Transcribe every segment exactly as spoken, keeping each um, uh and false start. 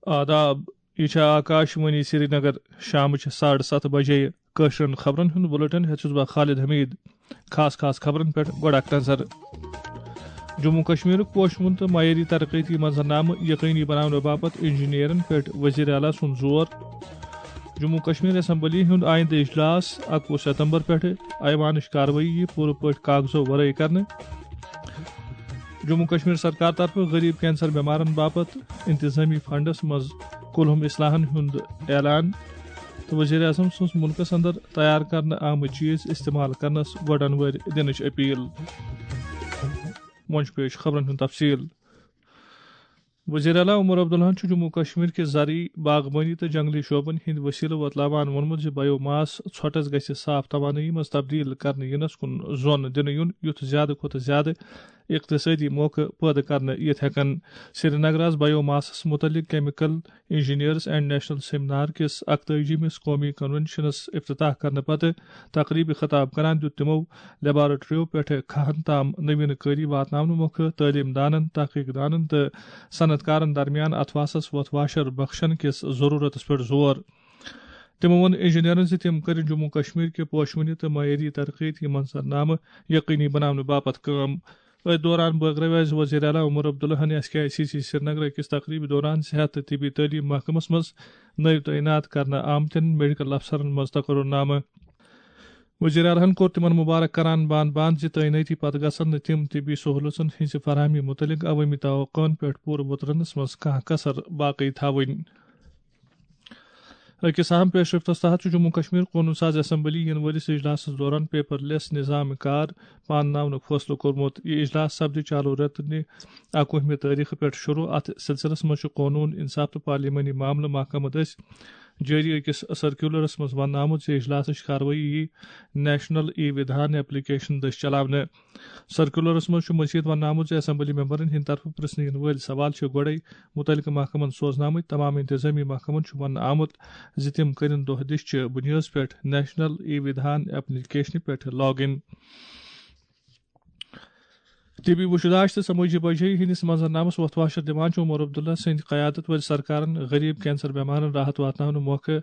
آداب، یہِ چھےٚ آکاش وانی سرینگر۔ شامٕچ ساڑٕ ستھ بجے۔ کٲشرٮ۪ن خبرن ہُنٛد بُلٹن ہیٚتھ چھُس بہٕ خالد حمید۔ خاص خاص خبرن پٮ۪ٹھ گۄڈٕ اکھ نظر۔ جموں کشمیرُک پوشہٕ وُن تہٕ معیٲری ترقیتی منظرنامہٕ یقینی بناونہٕ باپتھ انجینئرن پٮ۪ٹھ وزیر اعلیٰ سُنٛد زور۔ جموں کشمیر اسمبلی ہُنٛد آئندٕ اجلاس اکوُہ ستمبر پٮ۪ٹھٕ ایوانٕچ کاروٲیی یِیہِ پوٗرٕ پٲٹھۍ کاغذو ورٲے کرنہٕ۔ جموں کشمیر سرکار طرفہٕ غریب کینسر بیمارن باپتھ انتظامی فنڈس منٛز کُلہُم اصلاحن ہُنٛد اعلان تہٕ وزیر اعظم سٕنٛز مُلکس اندر تیار کرنہٕ آمٕتۍ چیز استعمال کرنس گۄڈن وٲرۍ دِنٕچ اپیل۔ وۄنۍ چھُ پیش خبرن ہُنٛد تفصیل۔ وزیر اعلیٰ عمر عبداللہن چھُ جموں کشمیر کہِ زرعی، باغبٲنی تہٕ جنگلی شعبن ہٕنٛدۍ وسیلہٕ وۄتلاوان ووٚنمُت زِ بایو ماس ژھۄٹس گژھِ صاف توانٲیی منٛز تبدیل کرنہٕ ینس کُن زون دِنہٕ یُن، یُتھ زیادٕ کھۄتہٕ زیادٕ اقتصٲدی موقعہٕ پٲدٕ کرنہٕ یِتھ ہٮ۪کن۔ سرینگرس بایو ماسس متعلق chemical engineers and national seminar کِس اکتٲجی مِس قومی کنونشنس افتتاح کرنہٕ پتہٕ تقریبہِ خطاب کران دیُت تِمو لیبارٹریو پٮ۪ٹھٕ کھہن تام نوین کٲری واتناونہٕ مۄکھٕ تعلیم دانن، تحقیق دانن تہٕ صنعت کارن درمیان اتھواسس وۄتھ واشر بخشن کِس ضرورتس پٮ۪ٹھ زور۔ تِمو ووٚن انجینئرن زِ تِم کٔرِن جموں کشمیر کہِ پوشونہِ تہٕ معیٲری ترقیتی منظرنامہٕ یقینی بناونہٕ باپتھ کٲم۔ أتھۍ دوران بٲگرٲوۍ اَسہِ وزیر اعلیٰ عمر عبداللہن S K I C C Srinagar أکِس تقریبہِ دوران صحت تہٕ طبی تعلیٖم محکمس منٛز نٔوۍ تعینات کرنہٕ آمتٮ۪ن میڈیکل افسرن منٛز تقرر نامہٕ۔ وزیر اعلیٰ ہن کوٚر تِمن مبارک کران بان بان زِ تعینٲتی پتہٕ گژھن نہٕ تِم طبی سہولژن ہٕنٛزِ فراہمی متعلق عوٲمی توقعن پٮ۪ٹھ پوٗرٕ وُترنس منٛز کانٛہہ کسر باقی تھاوٕنۍ۔ أکِس اہم پیشرفتس تحت چھُ جموں کشمیر قونوٗن ساز اسمبلی یِنہٕ وٲلِس اجلاسس دوران پیپر لیس نظام کار پانناونُک فٲصلہٕ کوٚرمُت۔ یہِ اجلاس سپدِ چالو رٮ۪تہٕ نہِ اکوُہمہِ تٲریخہٕ پٮ۪ٹھ شروع۔ اتھ سلسلس منٛز چھُ قونوٗن، انصاف تہٕ پارلیمانی معاملہٕ محکمہٕ دٔسۍ جٲری أکِس سرکیولرس منٛز وننہٕ آمُت زِ اجلاسٕچ کاروٲیی یِیہِ نیشنل ای ودھان ایپلیکیشن دٔسۍ چلاونہٕ۔ سرکیولرس منٛز چھُ مزید وننہٕ آمُت زِ اسمبلی ممبرن ہٕنٛدِ طرفہٕ پرژھنہٕ یِنہٕ وٲلۍ سوال چھِ گۄڈے متعلقہٕ محکمن سوزنہٕ آمٕتۍ۔ تمام انتظامی محکمن چھُ وننہٕ آمُت زِ تِم کٔرِن دۄہ دِش چہِ بُنیٲدس پٮ۪ٹھ نیشنل ای ودھان ایپلیکیشنہِ پٮ۪ٹھ لاگ اِن۔ طبی وُچھ داشت تہٕ سمٲجی بجٲیی ہٕنٛدِس منظرنامس وۄتھ واشر دِوان چھُ عمر عبداللہ سٕنٛدِ قیادت وٲلۍ سرکارن غریب کینسر بیمارن راحت واتناونہٕ مۄکھٕ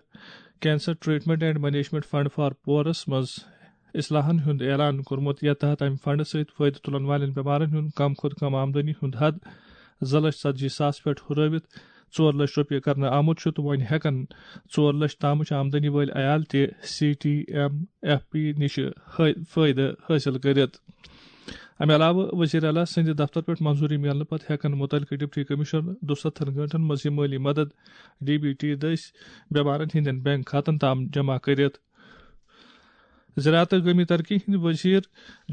cancer treatment and management fund for پورس منٛز اصلاحن ہُنٛد اعلان کوٚرمُت، یتھ تحت امہِ فنڈٕ سۭتۍ فٲیدٕ تُلن والٮ۪ن بیمارن ہُنٛد کم کھۄتہٕ کم آمدنی ہُنٛد حد زٕ لچھ ژتجی ساس پٮ۪ٹھ ہُرٲوِتھ ژور لچھ رۄپیہِ کرنہٕ آمُت چھُ تہٕ وۄنۍ ہٮ۪کن ژور لچھ تامٕچ آمدنی وٲلۍ عیال تہِ C T M F P نِش فٲ-، فٲیدٕ حٲصِل کٔرِتھ۔ امہِ علاوٕ وزیر اعلیٰ سٕنٛدِ دفتر پٮ۪ٹھ منظوٗری میلنہٕ پتہٕ ہٮ۪کن مُتعلقہٕ ڈپٹی کمشنر دُستتھن گٲنٛٹن منٛز یہِ مٲلی مدد ڈی بی ٹی دٔسۍ بیمارن ہٕنٛدٮ۪ن بینک کھاتن تام جمع کٔرِتھ۔ زراعت تہٕ گٲمی ترقی ہٕنٛدۍ وزیر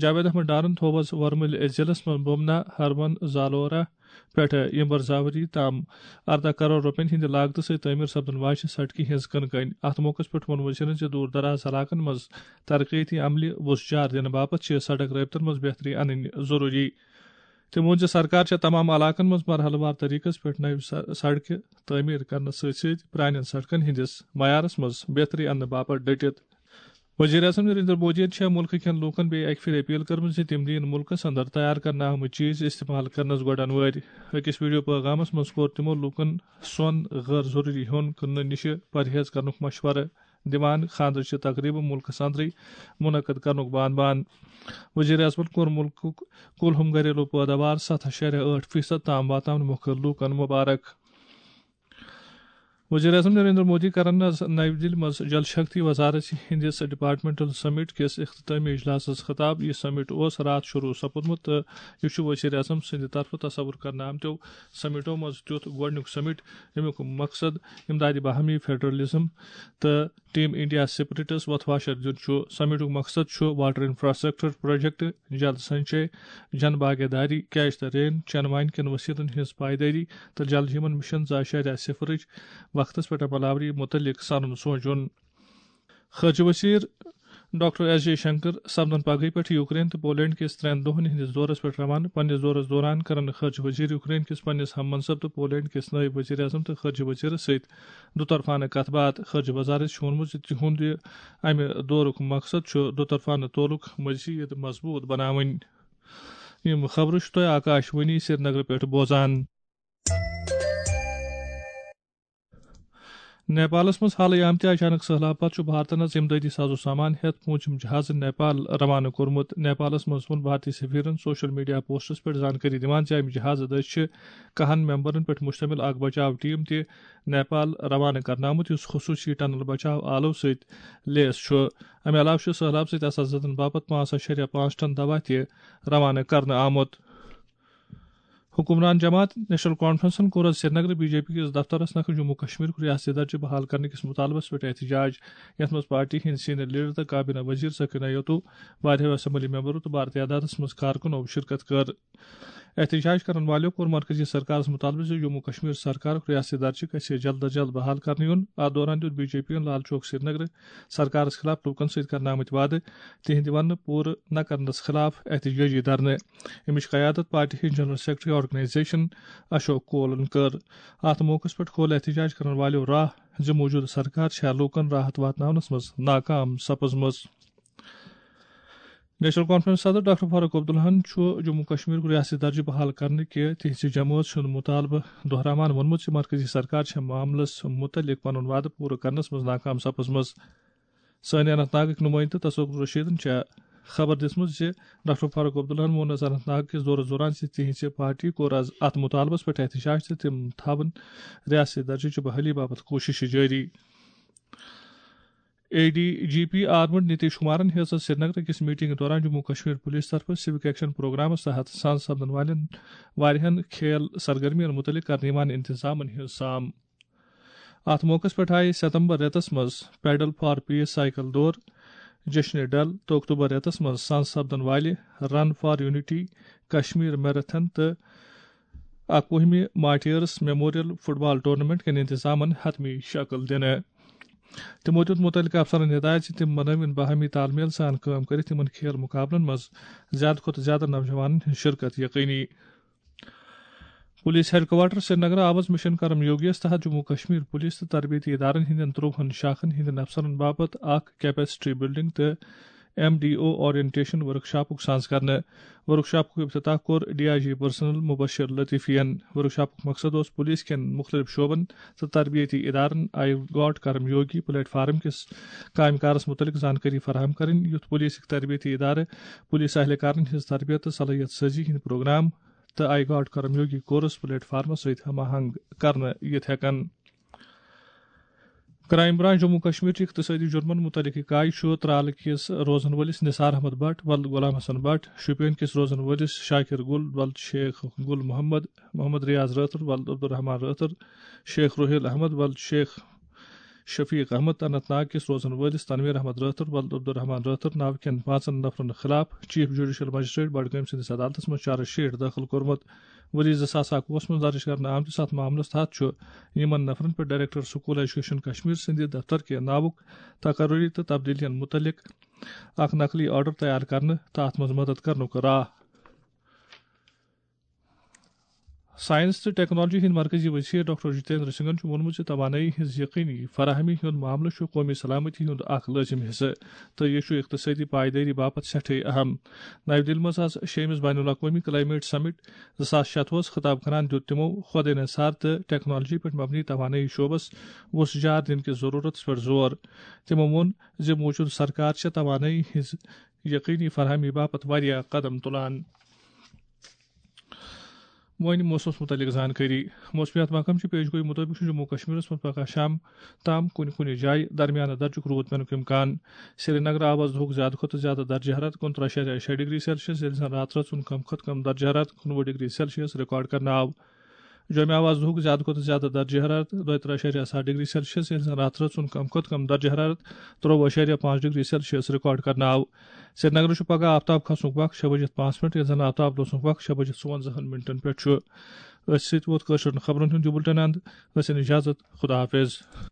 جاوید احمد ڈارن تھوو آز ورمُلۍ ضلعس منٛز بومنا ہرمن زالورہ پٮ۪ٹھٕ یمبر زاوری تام ارداہ کرور رۄپین ہٕنٛدِ لاگتہٕ سۭتۍ تعمیٖر سپدن واجہِ سڑکہِ ہٕنٛز کٕنہٕ کٔنۍ۔ اتھ موقعس پٮ۪ٹھ ووٚن وزیرن زِ دوٗر دراز علاقن منٛز ترقیتی عملہِ وُژھ جار دِنہٕ باپتھ چھِ سڑک رٲبطن منٛز بہتری انٕنۍ ضروٗری۔ تٔمۍ ووٚن زِ سرکار چھےٚ تمام علاقن منٛز مرحلہٕ وار طریقس پٮ۪ٹھ نوِ س-، سڑکہِ تعمیٖر کرنس سۭتۍ سۭتۍ پرٛانٮ۪ن سڑکن ہٕنٛدِس معیارس منٛز بہتری اننہٕ باپتھ ڈٔٹِتھ۔ وزیر اعظم نریندر مودیَن چھےٚ مُلکہٕ کٮ۪ن لوٗکَن بیٚیہِ اَکہِ پھِرِ اپیل کٔرمٕژ زِ تِم دِیِن مُلکَس اندر تیار کرنہٕ آمٕتۍ چیٖز استعمال کرنَس گۄڈَن وٲرۍ۔ أکِس ویڈیو پیغامَس منٛز کوٚر تِمَو لوٗکَن سۄن، غٲر ضروٗری ہیوٚن کٕننہٕ نِش پرہیز کرنُک مشورٕ دِوان خانٛدرٕچہِ تقریٖبہٕ مُلکَس اندرٕے منعقد کرنُک بان بان۔ وزیر اعظمَن کوٚر مُلکُک کُل ہُم گھریلو پٲداوار ستھ اَشاریہ ٲٹھ فیصد تام واتناونہٕ مۄکھٕ لوٗکَن مبارک۔ وزیر اعظم نریندر مودی کرن آز نئی دِلہِ منٛز جل شکتی وزارت ہٕنٛدِس ڈپارٹمنٹل سمٹ کِس اختتامی اجلاسس خطاب۔ یہِ سمٹ اوس راتھ شروع سپُدمُت تہٕ یہِ چھُ وزیر اعظم سٕنٛدِ طرفہٕ تصور کرنہٕ آمتیو سمٹو منٛز تیُتھ گۄڈٕنیُک سمٹ، ییٚمیُک مقصد امدادِ باہمی، فیڈرلزم تہٕ ٹیم انڈیا سپرٹس وۄتھ واشر دیُن چھُ۔ سمٹُک مقصد چھُ واٹر انفراسٹرکچر پروجیکٹ، جل سنچے، جن بھاگیداری، کیچ دی رین، چنہٕ وانہِ کٮ۪ن وسیلن ہٕنٛز پائیدٲری تہٕ جل جیون مشن زٕ اَشاریہ صفرٕچ وقتس پٮ۪ٹھ عمل آوری متعلق سنُن سونچُن۔ خارجہ وزیر ڈاکٹر ایس جے شنکر سپدن پگہٕے پٮ۪ٹھ یوکرین تہٕ پولینڈ کِس ترٛٮ۪ن دۄہن ہٕنٛدِس دورس پٮ۪ٹھ روانہٕ۔ پننِس دورس دوران کرن خارجہ وزیر یوکرین کِس پننِس ہم منصب تہٕ پولینڈ کِس نٲیِب وزیر اعظم تہٕ خارجہ وزیرس سۭتۍ دُطرفانہٕ کتھ باتھ۔ خارجہ وزارت چھُ ووٚنمُت زِ تِہُنٛد یہِ امہِ دورُک مقصد چھُ دُطرفانہٕ تعلق مزید مضبوط بناوٕنۍ۔ یِم خبرٕ چھِ تۄہہِ آکاش وانی سرینگرٕ پٮ۪ٹھ بوزان۔ نیپالس منٛز حالٕے آمتہِ اچانک سٔہلاب پتہٕ چھُ بھارتن از امدادی ساز و سامان ہٮ۪تھ پوٗنٛژِم جہاز نیپال روانہٕ کوٚرمُت۔ نیپالس منٛز ووٚن بھارتی سفیرن سوشل میڈیا پوسٹس پٮ۪ٹھ زانکٲری دِوان زِ امہِ جہازٕ دٔسۍ چھِ کاہن ممبرن پٮ۪ٹھ مشتمل اکھ بچاو ٹیم تہِ نیپال روانہٕ کرنہٕ آمُت، یُس خصوٗصی ٹنل بچاو آلو سۭتۍ لیس چھُ۔ امہِ علاوٕ چھُ سٔہلاب سۭتۍ اثر زدن باپتھ پانٛژھ اَشاریہ پانٛژھ ٹن دوا تہِ روانہٕ کرنہٕ آمُت۔ حکمران جماعت نیشنل کانفرنسن کوٚر آز سرینگرٕ بی جے پی کِس دفترس نکھٕ جموں کشمیرُک ریاستی درجہٕ بحال کرنہٕ کِس مطالبس پٮ۪ٹھ احتجاج، یتھ منٛز پارٹی ہٕنٛدۍ سینئر لیڈر تہٕ کابینہ وزیر سکینہ یتو، واریاہو اسمبلی ممبرو تہٕ بھارتی عدالتس منٛز کارکنو شرکت کٔر۔ احتجاج کرن والیو کوٚر مرکزی سرکارس مطالبہٕ زِ جموں کشمیر سرکارُک ریاستی درجہٕ گژھِ جلد از جلد بحال کرنہٕ یُن۔ اتھ دوران دیُت بی جے پی یَن لال چوک سرینگرٕ سرکارس خلاف لوٗکن سۭتۍ کرنہٕ آمٕتۍ وعدٕ تِہنٛدِ وننہٕ پوٗرٕ نہ کرنس خلاف احتجاجی دھرنہٕ۔ امِچ قیادت پارٹی ہٕنٛدۍ جنرل سیکرٹری آرگنائزیشن اشوک کولن کٔر۔ اتھ موقعس پٮ۪ٹھ کھول احتجاج کرن والیو راہ زِ موجودٕ سرکار چھےٚ لوٗکن راحت واتناونس منٛز ناکام سپٕزمٕژ۔ نیشنل کانفرنس صدر ڈاکٹر فاروق عبداللہن چھُ جموں کشمیرُک ریاستی درجہٕ بحال کرنہٕ کہِ تِہنٛزِ جمٲژ ہُنٛد مطالبہٕ دۄہراوان ووٚنمُت زِ مرکزی سرکار چھےٚ معاملس مُتعلق پنُن وعدٕ پوٗرٕ کرنس منٛز ناکام سپٕزمٕژ۔ سٲنۍ اننت ناگٕکۍ نُمٲیندٕ تصوف رشیدن چھےٚ خبر دِژمٕژ زِ ڈاکٹر فاروق عبداللہن ووٚن از اننت ناگ کِس دورس دوران زِ تِہنٛزِ پارٹی کوٚر از اتھ مطالبس پٮ۪ٹھ احتجاج تہٕ تِم تھاوَن ریاستی درجہٕ چہِ بحالی باپتھ کوٗششہٕ جٲری۔ A D G P armed Nitish کمارن ہیٚژ سرینگر کِس میٹنگ دوران جموں کشمیر پولیس طرفہٕ سیوک ایکشن پروگرامس تحت سان سپدن والٮ۪ن واریاہن کھیل سرگرمین متعلق کرنہٕ یِوان انتظامن ہٕنٛز سام۔ اتھ موقعس پٮ۪ٹھ آیہِ ستمبر رٮ۪تس منٛز پیڈل فار پیس سائیکل دور جشن ڈل تہٕ اکتوبر رٮ۪تس منٛز سان سپدن والہِ run for unity Kashmir marathon تہٕ اکوُہمہِ مارٹیئرس میموریل فٹ بال ٹورنامنٹ کٮ۪ن انتظامن حتمی شکل دِنہٕ۔ تِمو دیُت مُتعلقہٕ افسرن ہدایت زِ تِم بنٲوِن باہمی تال میل سان کٲم کٔرِتھ یِمن کھیل مُقابلن منٛز زیادٕ کھۄتہٕ زیادٕ نوجوانن ہٕنٛز شرکت یقینی۔ پولیس ہیڈ کوارٹر سرینگر آو از مشن کرم یوگیس تحت جموں کشمیر پولیس تہٕ تربیتی ادارن ہٕنٛدٮ۪ن ترٛۆہن شاخن ہٕنٛدٮ۪ن افسرن باپتھ اکھ کیپیسٹی بلڈنگ تہٕ ایم ڈی او اورینٹیشن ورکشاپُک سانز کرنہٕ۔ ورکشاپُک افتتاح کوٚر D I G personnel Mubashir لطیفین۔ ورکشاپُک مقصد اوس پولیس کٮ۪ن مُختٔلِف شعبن تہٕ تربیتی ادارن آیہِ گاٹ کرم یوگی پلیٹ فارم کِس کامہِ کارس مُتعلق زانکٲری فراہم کرٕنۍ، یُتھ پولیسٕکۍ تربیتی ادارٕ پولیس اہلکارن ہٕنٛز تربیت تہٕ صلٲحیت سازی ہٕنٛدۍ پروگرام تہٕ آیہِ گاٹ کرم یوگی کورس پلیٹ فارمس سۭتۍ ہم آہنگ کرنہٕ یِتھ ہٮ۪کن۔ کرائم برانچ جموں کشمیر چہِ اقتصٲدی جرمن متعلق اکاے چھُ ترالہٕ کِس روزن وٲلِس نثار احمد بٹ ولد غلام حسن بٹ، شوپین کِس روزن وٲلِس شاکر گل ولد شیخ گل محمد، محمد ریاض رٲتھر ولد عبدالرحمان رٲتھر، شیخ روحیل احمد ولد شیخ شفیق احمد، اننت ناگ کِس روزن وٲلِس تنویر احمد رٲتھر ولد عبدالرحمان رٲتھر ناوٕ کٮ۪ن پانٛژن نفرن خلاف چیف جوڈیشل مجسٹریٹ بڈگٲمۍ سٕنٛدِس عدالتس منٛز چارج شیٹ دٲخل کوٚرمُت۔ ؤری زٕ ساس اکوُہس منٛز درج کرنہٕ آمتِس اتھ معاملس تحت چھُ یِمن نفرن پٮ۪ٹھ ڈائریکٹر سکول ایجوکیشن کشمیر سٕنٛدِ دفتر کہِ ناوُک تقرری تہٕ تبدیلیَن مُتعلق اکھ نقلی آرڈر تیار کرنہٕ تہٕ اتھ منٛز مدد کرنُک راہ۔ سائنس تہٕ ٹیکنالوجی ہٕنٛدۍ مرکزی وزیر ڈاکٹر جتیندر سنگھن چھُ ووٚنمُت زِ توانٲیی ہٕنٛز یقینی فراہمی ہُنٛد معاملہٕ چھُ قومی سلامتی ہُنٛد اکھ لٲزم حصہٕ تہٕ یہِ چھُ اقتصٲدی پائیدٲری باپتھ سٮ۪ٹھٕے اہم۔ نَوِ دِلہِ منٛز آز شیٚیِمِس بین الاقوٲمی کلائمیٹ سمٹ زٕ ساس شتوُہس خطاب کران دیُت تِمو خۄدے نثار تہٕ ٹیکنالوجی پٮ۪ٹھ مبنی توانٲیی شعبس وُژھ جار دِنہٕ کِس ضروٗرتس پٮ۪ٹھ زور۔ تِمو ووٚن زِ موٗجوٗدٕ سرکار چھےٚ توانٲیی ہٕنٛز یقینی فراہمی باپتھ واریاہ قدم تُلان۔ وۄنۍ موسمس مُتعلق زانکٲری۔ موسمیات محکمہٕ چہِ پیش گویی مُطٲبِق چھُ جموں کشمیرس منٛز پگہہ شام تام کُنہِ کُنہِ جایہِ درمیانہٕ درجُک روٗد پینُک امکان۔ سرینگر آو از دُہُک زیادٕ کھۄتہٕ زیادٕ درجہ حرارت کُنترٕہ اَشاریہ شےٚ ڈگری سیلسیس، ییٚلہِ زن راتہٕ رٲژ ہُنٛد کم کھۄتہٕ کم درجہ حرارت کُنوُہ ڈگری سیلسیس ریکارڈ کرنہٕ آو۔ جوٚمہِ آو از دُہُک زیادٕ کھۄتہٕ زیادٕ درجہ حرارت دۄیہِ ترٕہ اَشاریہ ستھ ڈگری سیلسیس، ییٚلہِ زن راتہٕ رٲژ ہُنٛد کم کھۄتہٕ کم درجہ حرارت ترٛۆوُہ اَشاریہ پانٛژھ ڈگری سیلسیس ریکارڈ کرنہٕ آو۔ سرینگرٕ چھُ پگہہ آفتاب کھسنُک وق شےٚ بجِتھ پانٛژھ منٹ، ییٚلہِ زن آفتاب لوسنُک وق شےٚ بجِتھ ژُوَنزاہن منٹن پٮ۪ٹھ چھُ۔ أتھۍ سۭتۍ ووت کٲشرٮ۪ن خبرن ہُنٛد یہِ بُلٹن اند۔ ٲسِن اجازت، خدا حافظ۔